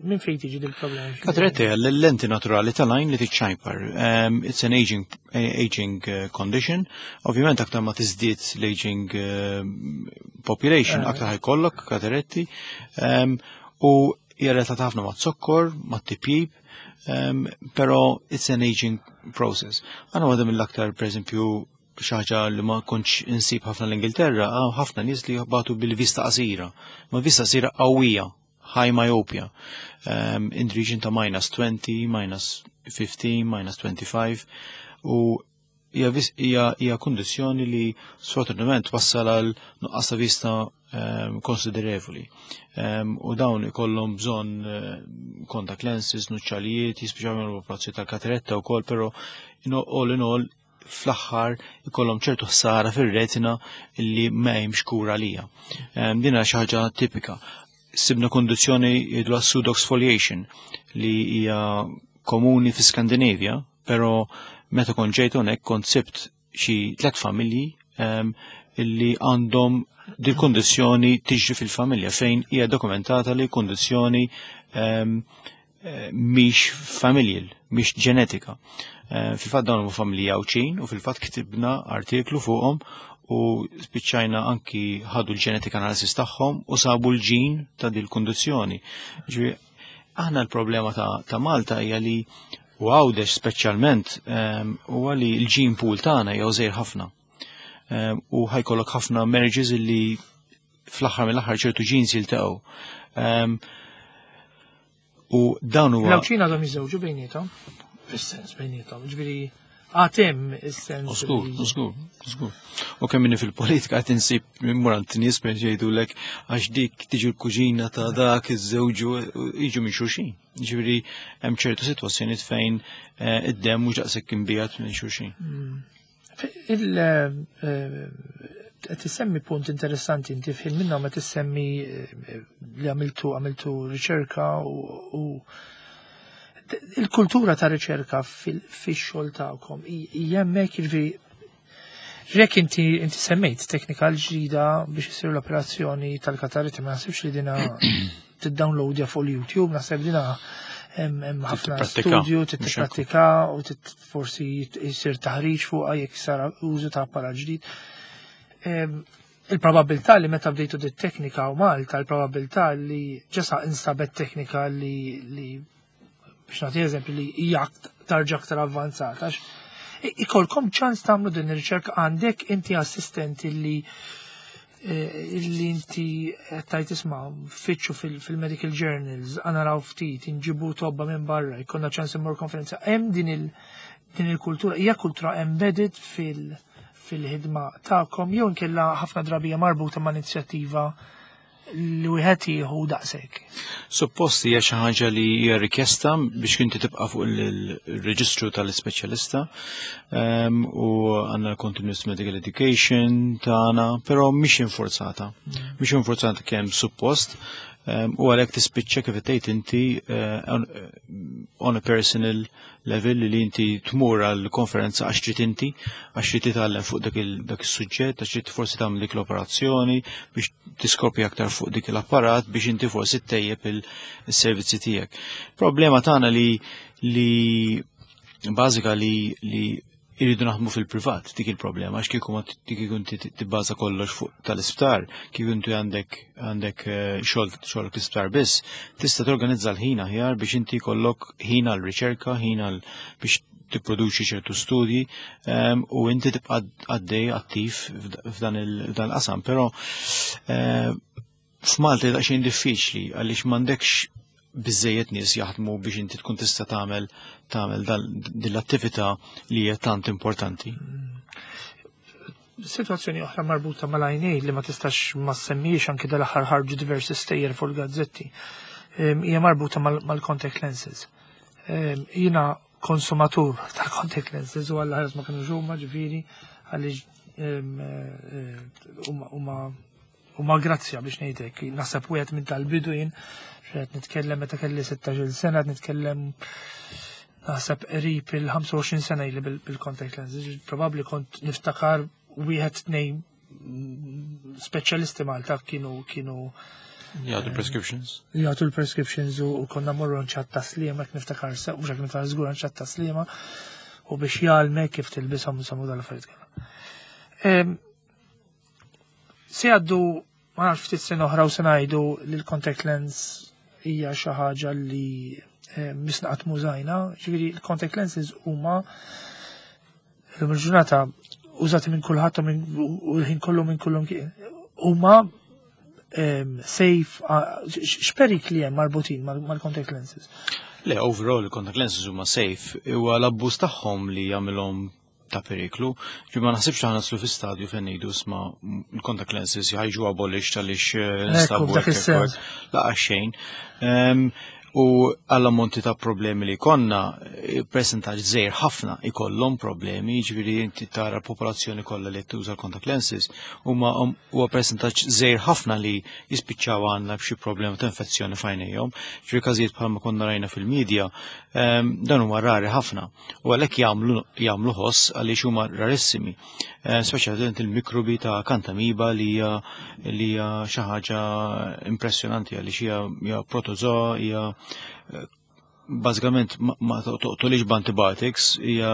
minn fejn tiġi dil-problema? Kataretti l-lenti naturali tal-għajn li tiċċajpar. It's an aging condition. Ovvjament aktar ma tiżdied l-aging population, aktar ħa jkollok kataretti. U hija relatata ħafna ma' zokkor, ma' tipjib, però it's an aging process. Għana għadha mill-aktar, per eżempju, xi ħaġa li ma kontx insib ħafna l-Ingilterra, ħafna nies li batu bil-vista qasira. Ma vista qasira qawwija, high myopia. In the region ta' minus 20, minus 15, minus 25. U hija kundizzjoni li sfortunatament wassal għal nuqqas ta' vista konsiderevoli. U dawn ikollhom bżonn contact lenses, nuċċalijiet, jispiċċaw l-operazzjoni tal-kataretta wkoll, però all in all fl-aħħar ikollhom ċertu ħsara fir-retina li ma hemmx kura lija. Din hija xi ħaġa tipika. Sibna kondizzjoni jgħidu pseudoexfoliation li hija komuni fi Skandinavia, però meta kont ġejt hawnhekk kont sibt xi tliet familji illi għandhom dil kondizzjoni tiġri fil-familja fejn hija dokumentata li kondizzjoni mhix familial, mhix ġenetika. Fil-fatt dawn huma familji Għawdxin u fil-fatt ktibna artiklu fuqhom u spiċċajna anki ħadu l-genetic analysis tagħhom u sabu l-ġin ta' dil kondizzjoni. Ġifieri aħna l-problema ta' Malta hija li u Għawdex speċjalment huwa li l-gene pool tagħna hija żgħir ħafna. U ħa jkollok ħafna marriages illi fl-aħħar mill-aħħar ċertu genes jiltaqgħu. U dan huwa L-Għawdxin għadhom jiżżewġu bejniethom, fis-sens bejniethom, ġifieri għad hemm is-sens. Żgur, żgur, żgur. U kemm inni fil-politika qed insib immur għand nies bejn jgħidulek għax dik tiġi l-kuġina ta' dak iż-żewġu jiġu minn xulxin. Ġifieri hemm ċertu sitwazzjonijiet fejn id-demm mhux daqshekk imbiegħed minn xulxin. Qed tissemmi punt interessanti inti f'ħin minnhom qed tissemmi li għamiltu riċerka u il-kultura ta' riċerka fix-xogħol tagħkom hija hemmhekk, jiġifieri jekk inti semmejt teknika l-ġdida biex isir l-operazzjoni tal-kataretti, ma naħsibx li dina tiddownloadja fuq il-YouTube, naħseb dina hemm ħafna Tipprattika. studju, Mhux hekk. tipprattika u forsi jsir taħriġ fuqha jekk sar użu ta' apparat ġdid. Il-probabilità li meta bdejtu dit teknika u Malta, il-probabilità li ġesa instabet teknika li biex nagħti eżempju li hija tarġa aktar avvanzata. Għax ikolkom ċans tagħmlu din ir-riċerka, għandek inti assistenti li inti qed tajt isma' fitxu fil-medical journals, naraw ftit, inġibu tobba minn barra, jkollna ċans immur konferenza. Hemm din il-kultura, hija kultura embedded fil-ħidma tagħkom jew inkella ħafna drabi hija marbuta ma' inizjattiva li wieħed jieħu daqshekk. Suppost hija xi ħaġa li hija rikjesta biex inti tibqa' fuq il-reġistru tal-ispeċjalista, u għandna continuous medical education tagħna, però mhix infurzata. Mhix infurzata kemm suppost, u għalhekk tispiċċa kif tgħid inti on a personal level li inti tmur għal konferenza għax trid inti, għax trid titgħallem fuq dak is-suġġett, għax trid forsi tagħmel dik l-operazzjoni biex tiskopri aktar fuq dik l-apparat biex inti forsi ttejjeb il-servizzi tiegħek. Problema tagħna li bażika li irridu naħdmu fil-privat, dik il-problema, għax kieku ma kieku inti tibbaża kollox fuq tal-isptar, kieku inti għandek xogħol l-isptar biss, tista' torganizza l-ħin aħjar biex inti jkollok ħin għal riċerka, ħin għal biex tipproduċi ċertu studji, u inti tibqa' għaddej attiv f'dan il-qasam, però f'Malta daqsxejn diffiċli għaliex m'għandekx biżejjed nies jaħdmu biex inti tkun tista' tagħmel din l-attività li hija tant importanti. Situazzjoni oħra marbuta mal-għajnejn li ma tistax ma semmiex anke dal-aħħar ħarġu diversi stejjer fuq il-gazzetti. Hija marbuta mal-contact lenses. Jiena konsumatur ta' contact lenses u għalla ħares ma kienu huma ġifieri għaliex huma grazzja biex ngħidlek. Naħseb wieħed minn tal-bidu jien, qed nitkellem meta kelli 16-il sena, qed nitkellem Naħseb qrib il-25 sena ili bil-contact lenses, probabbli kont niftakar wieħed tnejn speċjalisti Malta kienu kienu Jgħatu prescriptions. Jgħatu l-prescriptions u konna morru nċat taslima, niftakar se, u xak niftakar zgur nċat taslima, u biex jgħalmek kif tilbishom samu dal-affarijiet kollha. Se għaddu ma nafx ftit sena oħra u se ngħidu li l-contact lens hija xi ħaġa li eh, misna qatt mużajna, ġifieri l-contact lenses huma l ġurnata użati minn kulħadd u l-ħin kollu minn kullum huma safe x'perikli hemm marbutin mal-contact lenses? Le, overall, il-contact lenses huma safe, huwa l-abbuż tagħhom li jagħmilhom ta' periklu. Ġi ma naħsibx aħna naslu fi stadju fejn ngħidu sma l-contact lenses ħajġu abolished għaliex eh, nstabu. Laqa xejn. U għall-ammonti ta' problemi li konna, eh, percentaġġ żgħir ħafna ikollhom problemi, jiġifieri inti tara l-popolazzjoni kollha li tuża l-contact lenses, huma huwa percentaġġ żgħir ħafna li jispiċċaw għandna b'xi problema ta' infezzjoni f'għajnejhom. Ġifieri każijiet bħalma konna rajna fil-medja, dan huma rari ħafna. U għalhekk jagħmlu jagħmlu ħoss għaliex huma rarissimi. Eh, speċjalment il-mikrobi ta' kantamiba li hija li hija xi ħaġa impressjonanti għaliex hija hija protozoa hija eh, bażikament ma toqtolix b'antibiotics, hija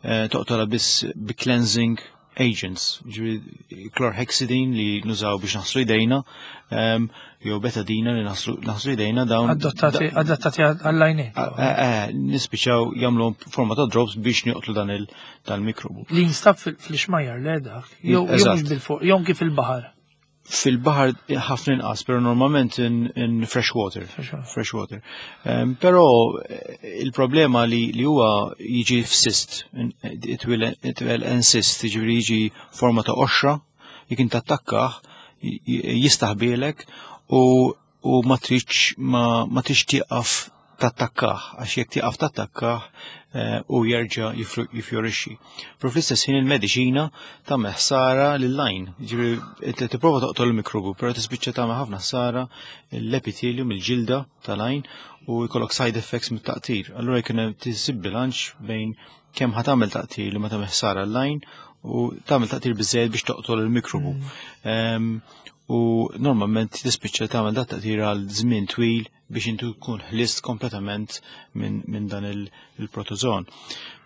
eh, toqtola biss bi cleansing agents, ġifieri chlorhexidine li nużaw biex naħslu jdejna, ehm, jew betadina li naħslu jdejna dawn. Adattati għall-għajnejn. Eh, eh, nispiċaw jagħmlu forma ta' drops biex joqtlu dan il-mikrobu. Li jinstab fl-ixmajjar le dak, jew mhux bil-fuq, jew kif il-baħar. Fil-baħar ħafna inqas, pero normalment in, in fresh water. Fresh water. Um, pero eh, il-problema li, li huwa jiġi f'sist, it will, it will insist, jiġifieri jiġi forma ta' qoxra, jekk inti attakkah, jistaħbielek u, u ma tridx ma, ma tridx tieqaf tattakkah, għax jekk tieqaf tattakkah eh, u jerġa' jifjorixxi. Però fl-istess ħin il-mediċina tagħmel ħsara lil-lajn. Ġifieri tipprova toqtol il-mikrobu, però tispiċċa tagħmel ħafna ħsara l-epithelium, il-ġilda tal-għajn u jkollok side effects mit-taqtir. Allura jkun hemm tisib bilanċ bejn kemm ħa tagħmel taqtir li ma tagħmel ħsara l-lajn u tagħmel taqtir biżejjed biex toqtol il-mikrobu. Mm. U normalment tispiċċa tagħmel dat taqtir għal żmien twil biex intu tkun ħlist kompletament minn min dan il-protozon.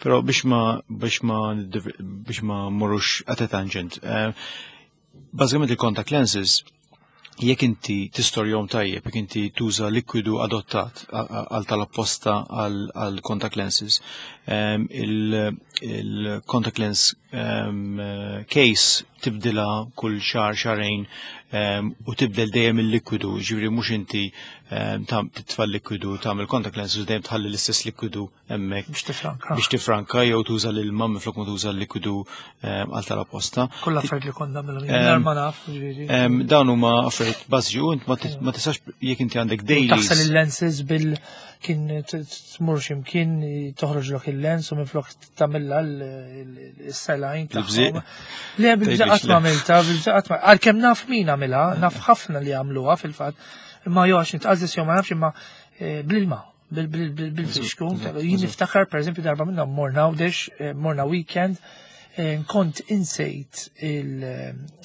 Però biex ma biex ma biex ma morrux at a tangent. Eh, bażikament il-contact lenses jekk inti tistorjom tajjeb, jekk inti tuża likwidu adottat għal tal-apposta għal contact lenses, ehm, il-contact lens ehm, case tibdilha kull xahar xahrejn ehm, u tibdel dejjem il-likwidu, ġifieri mhux inti ehm, titfa' l-likwidu tagħmel contact lenses u dejjem tħalli l-istess likwidu hemmhekk. Biex tifranka. Biex tifranka jew tuża l-ilma minflok ma tuża l-likwidu ehm, għal tal-apposta. Kollha affarijiet li konna nagħmilhom ma naf, ġifieri. Dawn huma affarijiet bażiċi u int ma tistax jekk inti għandek daily. Taħsel il-lenses bil kien tmur x'imkien toħroġlok il-lens u minflok tagħmilha l-selajn tagħhom. Le bil-bżaq qatt ma għamilta, bil-bżaq qatt ma għalkemm naf min għamilha, naf ħafna li għamluha fil-fatt, imma jew għax nitqażżis jew ma nafx imma eh, bl-ilma bil-fixku. Jien niftakar pereżempju darba minnhom morna għawdex, eh, morna weekend, eh, kont insejt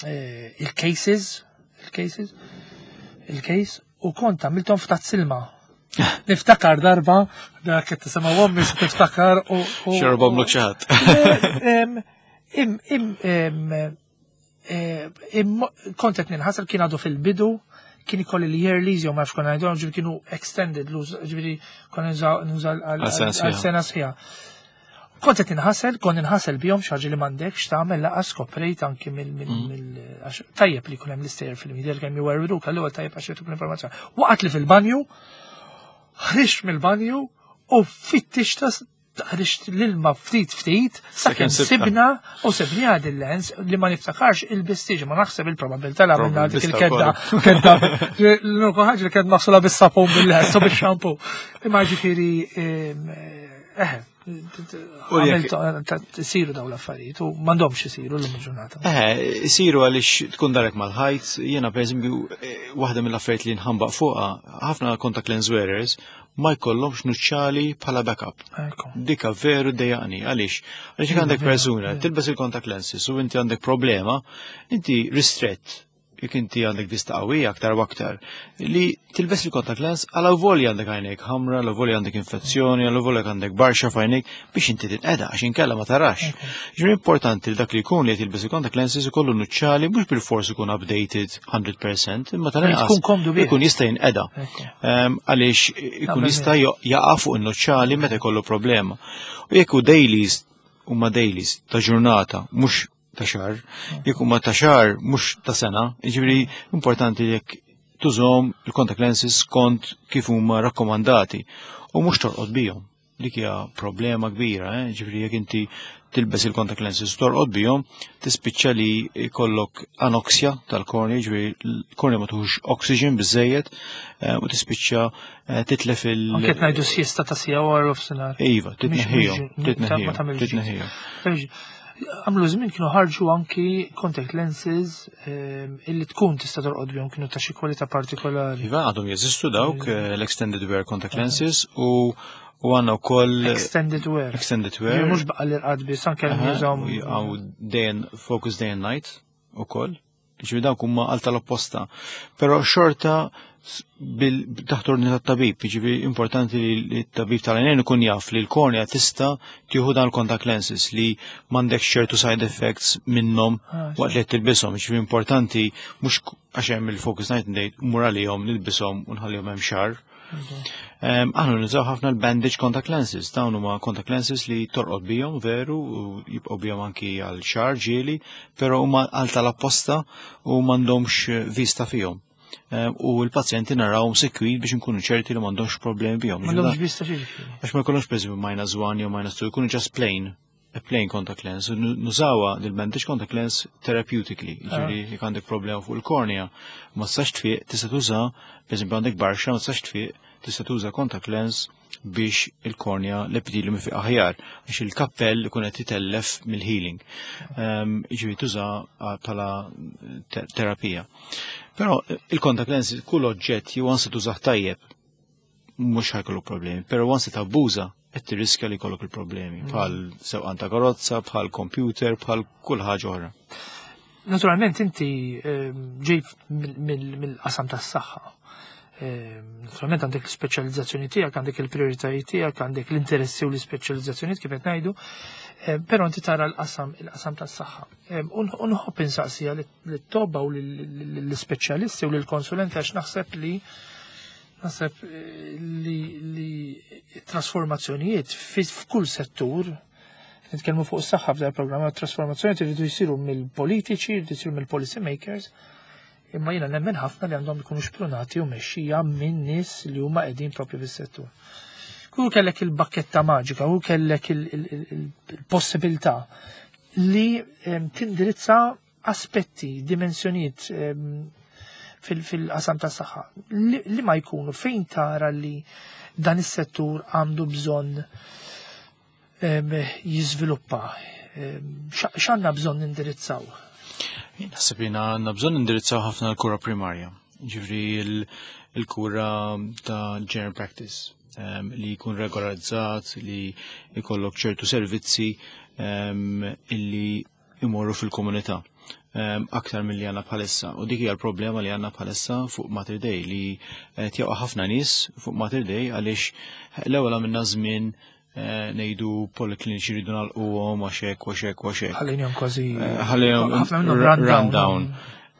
il-cases, il-cases, il-case, U kont għamilthom f'tazz ilma. Niftakar darba, dak qed tisimgħu ommi se tiftakar u. Xerbhom lok xi ħadd. Kont qed ninħasel kien għadu fil-bidu, kien ikolli l-yearlies jew ma nafx konna ngħidulhom, ġifieri kienu extended, ġifieri konna nuża għal sena sħiħa. Kont qed inħasel, kont inħasel bihom xi ħaġa li m'għandekx tagħmel laqas skoprejt anki mill mm. għax tajjeb li jkun hemm l-istejjer fil-media kemm jwerwruk allura tajjeb għax jagħtuk l-informazzjoni. Waqgħet li fil-banju, ħriġt mill-banju u fittixta ħriġt l-ilma ftit ftit sakemm sibna u sibni għad il-lens li ma niftakarx il-bistiġ ma naħseb il-probabilità li għamilna dik il-kedda kedda l-unika ħaġa li kienet maħsula bis-sapun bil-lens u bix-xampu. Imma ġifieri eħe. Isiru daw l-affarijiet u m'għandhomx isiru l-lum il-ġurnata. Eh, isiru għaliex tkun darek mal-ħajt, jiena pereżempju waħda mill-affarijiet li nħambaq fuqha, ħafna contact lens wearers ma jkollhomx nuċċali bħala backup. Dika veru dejjaqni, għaliex? Għaliex jekk għandek persuna tilbes il-contact lenses u inti għandek problema, inti ristrett jekk inti għandek vista qawwija aktar u aktar, li tilbes il-contact lens għal volja għandek għajnejk ħamra, għal volja għandek infezzjoni, għal volja għandek barxa f'għajnejk biex inti tinqeda għax inkella ma tarax. Ġifieri importanti li dak li jkun li tilbes il-contact lenses ikollu nuċċali mhux bil-fors ikun updated 100%, imma tal-inqas ikun jista' jinqeda. Għaliex ikun jista' jaqa' fuq in-nuċċali meta jkollu problema. U jekk hu dailies huma dailies ta' ġurnata, mhux ta' xahar, jekk huma ta' xahar mhux ta' sena, jiġifieri importanti jekk tużhom il-contact lenses skont kif huma rakkomandati u mhux torqod bihom. Dik hija problema kbira, eh? Ġifieri jekk inti tilbes il-contact lenses torqod bihom, tispiċċa li jkollok anoxja tal-kornea, ġifieri l-kornea ma tuħux oxygen biżejjed eh, u tispiċċa eh, titlef il- Anke qed ngħidu siesta ta' sija wara nofsinhar. Iva, titneħħihom, titneħħihom, titneħħihom. Għamlu żmien kienu ħarġu anki contact lenses illi tkun tista' torqod bihom kienu ta' xi kwalità partikolari. Iva, għadhom jeżistu dawk l-extended wear contact lenses u u għandna wkoll extended wear. Extended wear. Mhux baqa' l-irqad biss anke jużawhom. Għaw day and focus day and night ukoll. Ġifieri dawk huma għal tal-opposta. Però xorta taħt ordni tat-tabib, jiġifieri importanti li t-tabib tal-għajnejn ikun jaf li l-kornea tista' tieħu dan il-contact lenses li m'għandekx ċertu side effects minnhom ah, waqt li qed tilbishom. Jiġifieri importanti mhux għax hemm il-focus night and day mur għalihom nilbishom u nħallihom hemm xahar. Aħna nużaw ħafna l-bandage contact lenses, dawn huma contact lenses li torqod bihom veru u jibqgħu bihom anki għal xahar ġieli, però huma għal tal-apposta u m'għandhomx vista fihom. U l-pazjenti narawhom sekwit biex nkunu ċerti li m'għandhomx problemi bihom. M'għandhomx vista xi. Għax ma jkollhomx pereżempju minus 1 jew minus 2, jkunu just plain a plain contact lens, nużawa dil-bandage contact lens therapeutically, ġifieri ah. jekk għandek problema fuq il-kornea, ma tistax tfiq, tista' tuża, pereżempju għandek barxa, ma tistax tfiq, tista' tuża contact lens biex il-kornea l-epithelium ifiq aħjar, għax il-kappell ikun qed jitellef mill-healing. Ġifieri tuża bħala terapija. Però il-contact lens kull oġġett jew ansi tużah tajjeb mhux ħajkollu problemi, però once tabbuża qed tirriskja li jkollok il-problemi mm. bħal sewqan ta' karozza, bħal computer, bħal kull ħaġa oħra. Naturalment inti ehm, ġej mill-qasam tas-saħħa. Ehm, naturalment għandek l-speċjalizzazzjoni tiegħek, għandek il-prijoritajiet tiegħek, għandek l-interessi u l-ispeċjalizzazzjonijiet kif qed ngħidu, ehm, però inti tara l-qasam il-qasam tas-saħħa. U nħobb insaqsija lit-tobba u l-ispeċjalisti u lill-konsulenti għax naħseb li Naħseb eh, li, li trasformazzjonijiet f'kull settur, nitkellmu fuq is-saħħa f'dan il-programm, trasformazzjonijiet iridu jsiru mill-politiċi, jridu jsiru mill-policy makers, imma jiena nemmen ħafna li għandhom ikunu xprunati u mexxija minn nies li huma qegħdin propju fis-settur. Kull kellek il-bakketta maġika, u kellek il-possibilità li tindirizza aspetti, dimensjonijiet fil-qasam tas saħħa li ma jkunu fejn tara li dan is-settur għandu bżonn jiżviluppa. X'għandna bżonn nindirizzaw? Naħseb li għandna bżonn nindirizzaw ħafna l-kura primarja, ġifri l-kura ta' general practice li jkun regolarizzat, li jkollok ċertu servizzi illi imorru fil-komunità ehm, aktar milli għandna bħalissa. U dik hija l-problema li għandna bħalissa fuq Mater Dei li qed jaqa' ħafna nies fuq Mater Dei għaliex l-ewwel għamilna żmien eh, ngħidu polikliniċi rridu nagħlquhom għax hekk għax hekk għax hekk. Ħallejnihom kważi eh, ħallejhom run down.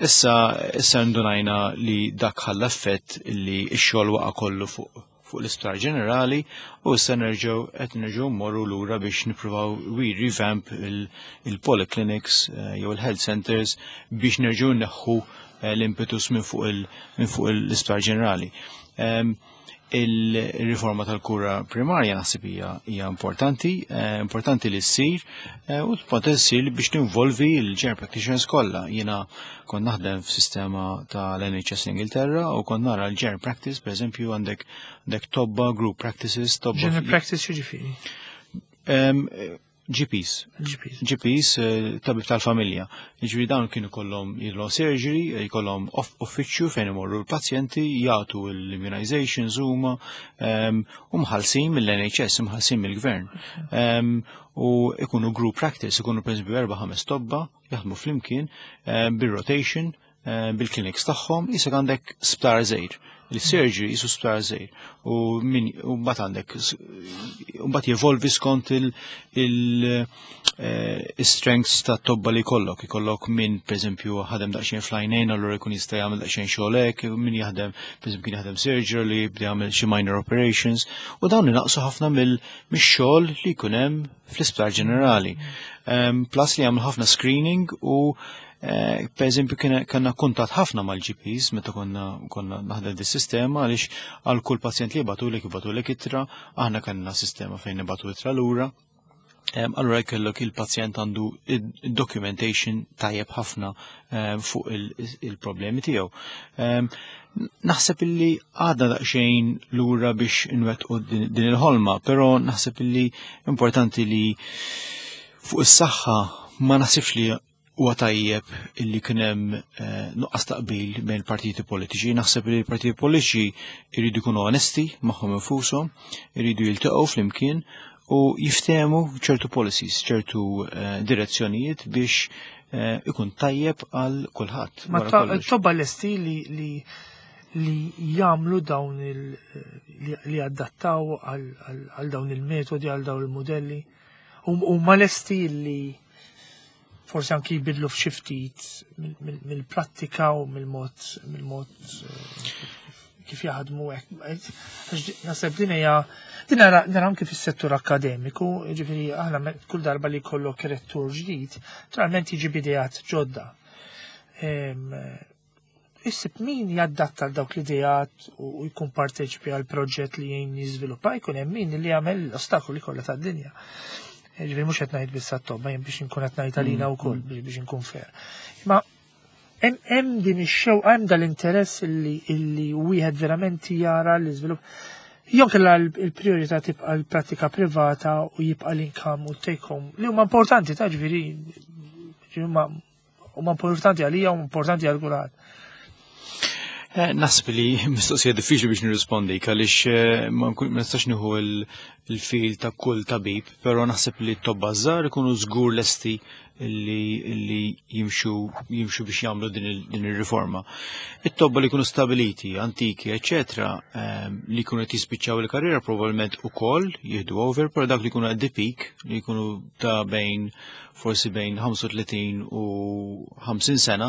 Issa issa ndunajna li dak ħalla effett li x-xogħol waqa' kollu fuq fuq l-Isptar Ġenerali u issa nerġgħu qed nerġgħu mmorru lura biex nippruvaw we revamp il-polyclinics eh, jew il-health centers biex nerġgħu neħħu eh, l-impetus minn fuq l-Isptar Ġenerali. Ehm, il-riforma tal-kura primarja naħseb hija hija importanti, eh, importanti li ssir u ssir biex tinvolvi l-general practitioners kollha. Jiena Kont naħdem f'sistema tal-NHS l-Ingilterra u kont nara l-general practice, per eżempju, għandek għandek tobba, group practices, tobba. General practice x'jiġifieri? GPs. GPs. GPs, tabib tal-familja. Ġifieri dawn kienu kollhom jilhom surgery, jkollhom uffiċċju fejn imorru l-pazjenti, jagħtu l-immunizations huma u mħallsin mill-NHS, mħallsin mill-gvern. U ikunu group practice, ikunu pereżempju erba' ħames tobba jaħdmu flimkien bil-rotation, bil-clinics tagħhom, jisek għandek sptar żgħir. Il-surgery jisu sptar żgħir. U min u mbagħad għandek u mbagħad jevolvi skont il-strengths ta' tobba li jkollok. Ikollok min pereżempju ħadem daqsxejn fl-għajnejn, allura jkun jista' jagħmel daqsxejn xogħol hekk, min jaħdem pereżempju kien jaħdem surgery li jibda jagħmel xi minor operations, u dawn inaqsu ħafna mix-xogħol li jkun hemm fl-isptar ġenerali. Plus li jagħmel ħafna screening u per eżempju kellna kuntatt ħafna mal-GPs meta konna naħdem dis-sistema, għaliex għal kull pazjent li jibgħatulek ittra, aħna kellna sistema fejn nibgħatu ittra lura. Allura jkollok il-pazjent għandu documentation tajjeb ħafna fuq il-problemi tiegħu. Naħseb illi għadna daqsxejn lura biex nwettqu din il-ħolma, però naħseb illi importanti li fuq is-saħħa ma naħsibx li huwa tajjeb illi kien hemm nuqqas taqbil bejn il-partiti politiċi. Naħseb li l-partiti politiċi jridu jkunu onesti magħhom infushom, jridu jiltaqgħu flimkien u jiftehmu ċertu policies, ċertu direzzjonijiet biex ikun tajjeb għal kulħadd. Ma wara kollox. tobba lesti li jagħmlu dawn li adattaw għal dawn il-metodi, għal dawn il-modelli, u ma lesti li forsi anki jbidlu f'xi ftit mill-prattika u mill-mod kif jaħdmu hekk. Għax naħseb din hija din nara anki fis-settur akkademiku, ġifieri aħna kull darba li jkollok rettur ġdid, naturalment jiġi b'ideat ġodda. Issib min jaddatta għal dawk l-ideat u jkun parteċipi għal proġett li jgħin jiżviluppa, jkun hemm min li jagħmel l-ostakoli kollha tad-dinja. Ġifieri mhux qed ngħid biss għat-tobba, jien biex inkun qed ngħid għalina wkoll biex inkun fair. Ma hemm din ix-xewqa, hemm dal-interess illi wieħed verament jara l-iżvilupp. Jew kellha l-priorità tibqa' l-pratika privata u jibqa' l-income u take home li huma importanti ta' ġifieri huma importanti għalija u importanti għal kulħadd. Naħseb li mistoqsija diffiċli biex nirrispondi għaliex ma nistax nieħu il-fil ta' kull tabib, però naħseb li t-tobba żgħar ikunu żgur lesti li jimxu biex jagħmlu din ir-riforma. It-tobba li jkunu stabiliti, antiki, eċetera, li jkunu qed jispiċċaw il-karriera probabbilment ukoll jieħdu over, però dak li jkunu at the peak, li jkunu ta' bejn forsi bejn 35 u 50 sena,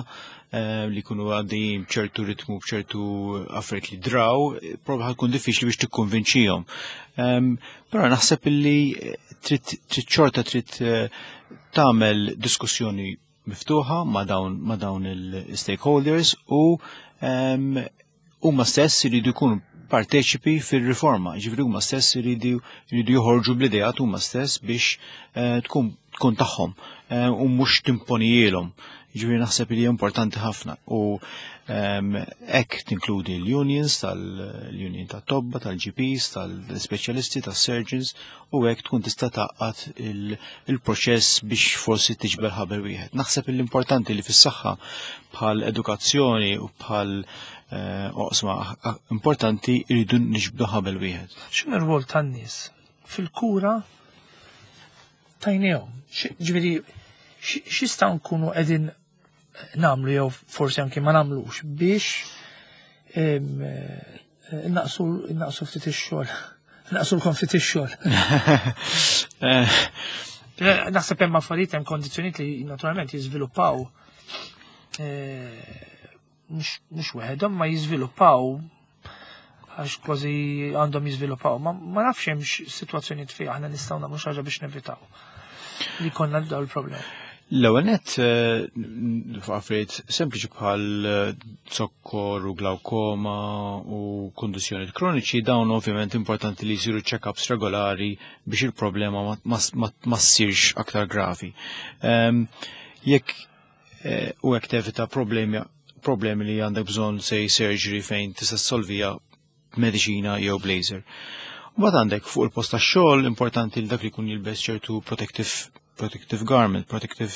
li jkunu għaddejjin b'ċertu ritmu, b'ċertu affarijiet li draw, probabli ħa tkun diffiċli biex tikkonvinċihom. Però naħseb li trid xorta trid tagħmel diskussjoni miftuħa ma' dawn il-stakeholders u huma stess iridu jkunu parteċipi fil-riforma, ġifieri huma stess iridu joħorġu bl-ideat huma stess biex tkun tagħhom u mhux timponijielhom. Ġifieri naħseb li importanti ħafna u hekk tinkludi l-unions, tal-union tat-tobba, tal-GPs, tal-speċjalisti, tas-surgeons, u hekk tkun tista' tgħaqqad il-proċess biex forsi tiġbel ħabel wieħed. Naħseb l-importanti li fis-saħħa bħal edukazzjoni u bħal oqsma importanti jridu niġbdu ħabel wieħed. X'inhu r-rwol tan-nies fil-kura tajnejhom? Ġifieri x'jistgħu nkunu qegħdin nagħmlu jew forsi anke ma nagħmlux biex naqsu ftit ix-xogħol. Naqsu lkom ftit ix-xogħol. Naħseb hemm affarijiet, hemm kondizzjonijiet li naturalment jiżviluppaw mhux weħedhom ma jiżviluppaw għax kważi għandhom jiżviluppaw. Ma nafx hemm sitwazzjonijiet fejn aħna nistgħu nagħmlu xi ħaġa biex nevitaw li konna dawn il-problemi. L-ewwel nett fuq affarijiet sempliċi bħal zokkor u glaukoma u kundizzjonijiet kroniċi, dawn ovvjament importanti li jsiru check-ups regolari biex il-problema ma ssirx aktar gravi. Jekk u hekk tevita problemi li għandek bżonn sej surgery fejn tista' ssolvija b'mediċina jew b'laser. Mbagħad għandek fuq il-post tax-xogħol importanti li dak li jkun jilbes ċertu protective garment, protective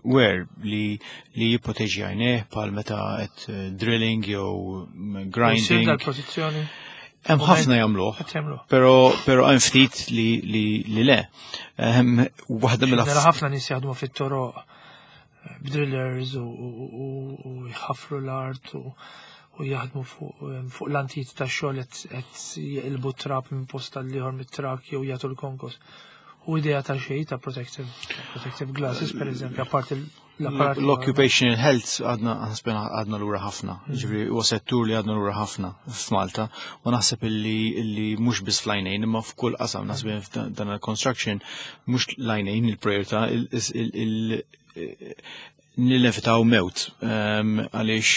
wear li jipproteġi għajnejh bħal meta qed drilling jew grinding. Dal-protezzjoni? Hemm ħafna jagħmluh, Qed jagħmluh. Però hemm ftit li le. Waħda mill Nara ħafna nies jaħdmu fit-toroq b'drillers u jħafru l-art u jaħdmu fuq l-antit ta' xogħol qed jeqilbu trab minn post għal ieħor mit-trak jew jagħtu l-konkos. U idea ta' xejn ta' protective glasses, per eżempju, apparti l-apparat. L-occupational health għadna, naħseb għadna lura ħafna. Ġifieri huwa settur li għadna lura ħafna f'Malta u naħseb illi mhux biss fl-għajnejn imma f'kull qasam, naħseb f'dan il-construction mhux l-għajnejn il-priorità, nilevitaw mewt għaliex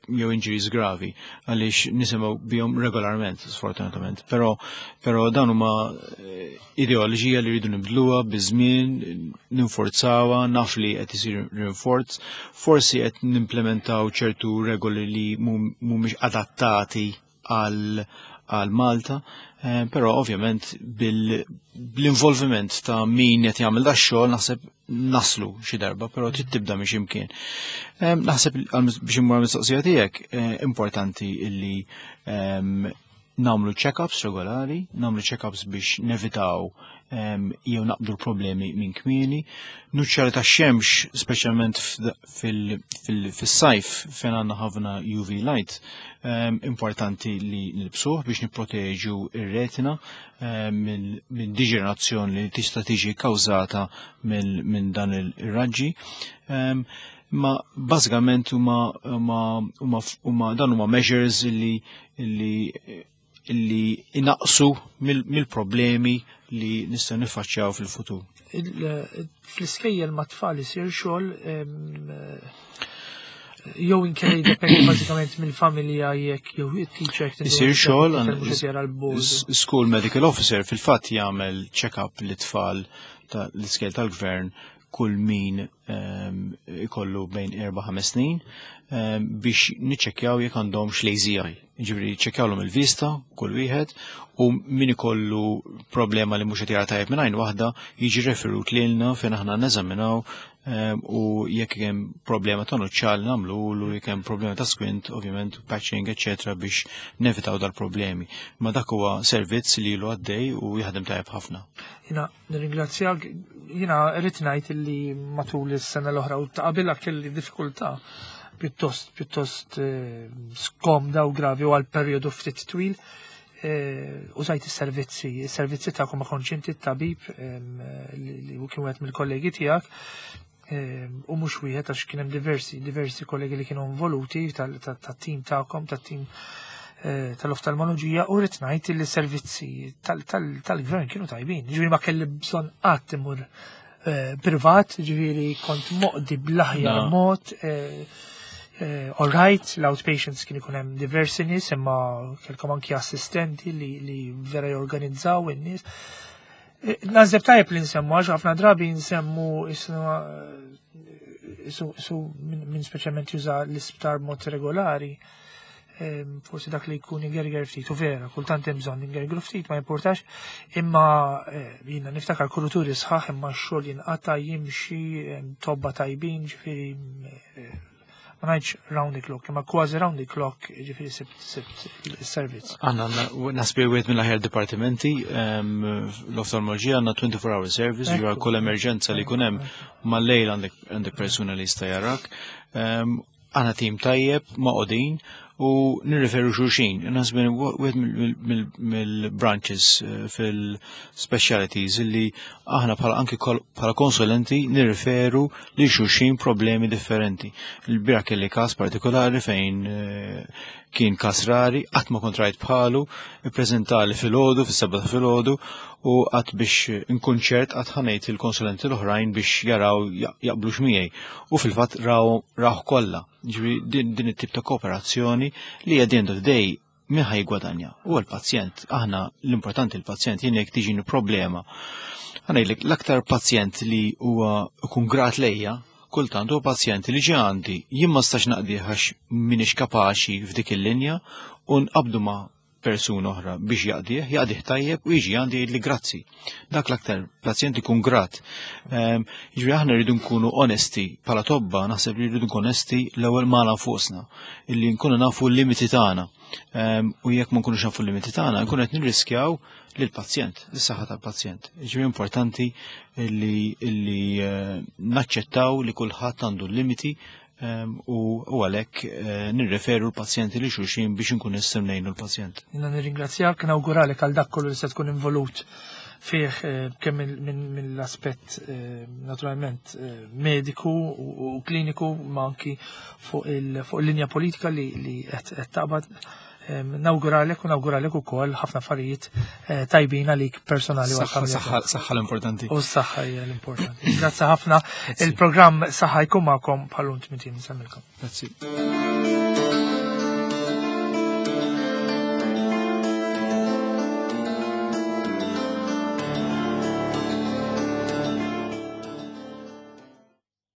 jew injuries gravi għaliex nisimgħu bihom regolarment, sfortunatament. Però dan huma ideoloġija li rridu nibdluha biż-żmien, ninforzawha, naf li qed isir rinforz, forsi qed nimplementaw ċertu regoli li mhumiex adattati għal Malta, però ovvjament bil-involviment ta' min qed jagħmel da xogħol naħseb naslu xi darba, però trid tibda minn x'imkien. Naħseb biex immur mistoqsija tiegħek, importanti illi nagħmlu check-ups regolari, nagħmlu check-ups biex nevitaw jew naqbdu l-problemi minn kmieni. Nuċċali ta' xemx, speċjalment fis-sajf fejn għandna ħafna UV light, importanti li nilbsuh biex nipproteġu ir-retina minn deġenerazzjoni li tista' tiġi kkawżata minn dan ir-raġġi. Ma bażikament huma dan huma measures li inaqsu mill-problemi li nistgħu niffaċċjaw fil-futur. Fl-iskejjel ma' tfal isir xogħol jew inkella jiddependi bażikament mill-familja jekk jew it-teacher jekk Isir tindu xogħol, jekk mhux qed jara l-board. School medical officer fil-fatt jagħmel check-up lit-tfal l-iskejjel tal-gvern kull min ikollu bejn 4-5 snin biex niċċekkjaw jekk għandhom lazy eye. Ġifieri ċekkjawlhom il-vista kull wieħed u min ikollu problema li mhux qed jara tajjeb minn għajn waħda jiġi referut lilna fejn aħna neżaminaw u jekk hemm problema ta' nuċċal nagħmlu, jekk hemm problema ta' squint, ovvjament patching, eċċetera, biex nevitaw dal-problemi. Ma dak huwa servizz li ilu għaddej u jaħdem tajjeb ħafna. Jiena nirringrazzjak, jiena rrid ngħid li matul is-sena l-oħra u ta' qabilha kelli diffikultà pjuttost skomda u gravi u għal perjodu ftit twil. Użajt is-servizzi tagħkom, ma kontx inti t-tabib li kien wieħed mill-kollegi tiegħek, u mhux wieħed għax kien hemm diversi kollegi li kienu involuti tat-tim tagħkom, tat-tim tal-oftalmoloġija, u rrid ngħid li servizzi tal-gvern kienu tajbin. Ġifieri ma kelli bżonn qatt imur privat, ġifieri kont moqdi bl-aħjar mod. All right, l-outpatients kien ikun hemm diversi nies, imma kellkom anki assistenti li vera jorganizzaw in-nies. Naħseb tajjeb li nsemmu, għax ħafna drabi nsemmu su min speċjalment juża l-isptar mod regolari, forsi dak li jkun ingerger ftit, u vera, kultant hemm bżonn ingergru ftit, ma importax, imma jiena niftakar kuruturi sħaħ, imma x-xogħol jinqata' jimxi, tobba tajbin, ġifieri ma ngħidx round the clock, imma kważi round the clock, ġifieri sibt il-servizz. Għandna naħseb wieħed mill-aħjar dipartimenti, l-oftalmoloġija għandna 24 hour service, ġifieri kull emerġenza li jkun hemm mal-lejl għandek persuna li jista' jarak. Għandna tim tajjeb, magħqudin, u nirreferu xulxin. Naħseb wieħed mill-branches fil-specialities illi aħna bħala anki bħala konsulenti nirreferu li xulxin problemi differenti. Il-bieraħ kelli kas partikolari fejn kien kas rari, qatt ma kont rajt bħalu, ippreżentali filgħodu, fis-7 ta' filgħodu, u qatt biex inkun ċert qatt ħa ngħid il-konsulenti l-oħrajn biex jaraw jaqblux miegħi. U fil-fatt raw kollha. Ġifieri din it-tip ta' kooperazzjoni li at the end of the day min ħa jiggwadanja? U l-pazjent, aħna l-importanti l-pazjent, jien jekk tiġini problema. Ħa ngħidlek l-aktar pazjent li huwa ikun grat lejja, kultant huwa pazjent li ġie għandi, jien ma stax naqdi għax m'iniex kapaċi f'dik il-linja u nqabdu ma' persuna oħra biex jaqdih, jaqdih tajjeb u jiġi għandi jgħidli grazzi. Dak l-aktar pazjent ikun grat. Jiġifieri aħna rridu nkunu onesti bħala tobba, naħseb li rridu nkunu onesti l-ewwel magħna nfusna, illi nkunu nafu l-limiti tagħna. U jekk ma nkunux nafu l-limiti tagħna, nkunu qed nirriskjaw lill-pazjent, is-saħħa tal-pazjent. Jiġifieri importanti illi naċċettaw li kulħadd għandu l-limiti u għalhekk nirreferu l-pazjenti li xulxin biex nkun nistgħu ngħinu l-pazjent. Jiena nirringrazzjak, nawguralek għal dak kollu li se tkun involut fih kemm mill-aspett naturalment mediku u kliniku, ma anki fuq il-linja politika li qed taqbad. Nawguralek u nawguralek ukoll ħafna affarijiet tajbin għalik personali u għal-familja. Saħħa l-importanti. U s-saħħa hija l-importanti. Grazzi ħafna. Il-programm Saħħa jkun magħkom bħal-lum tmintin nsemmilkom. Grazzi.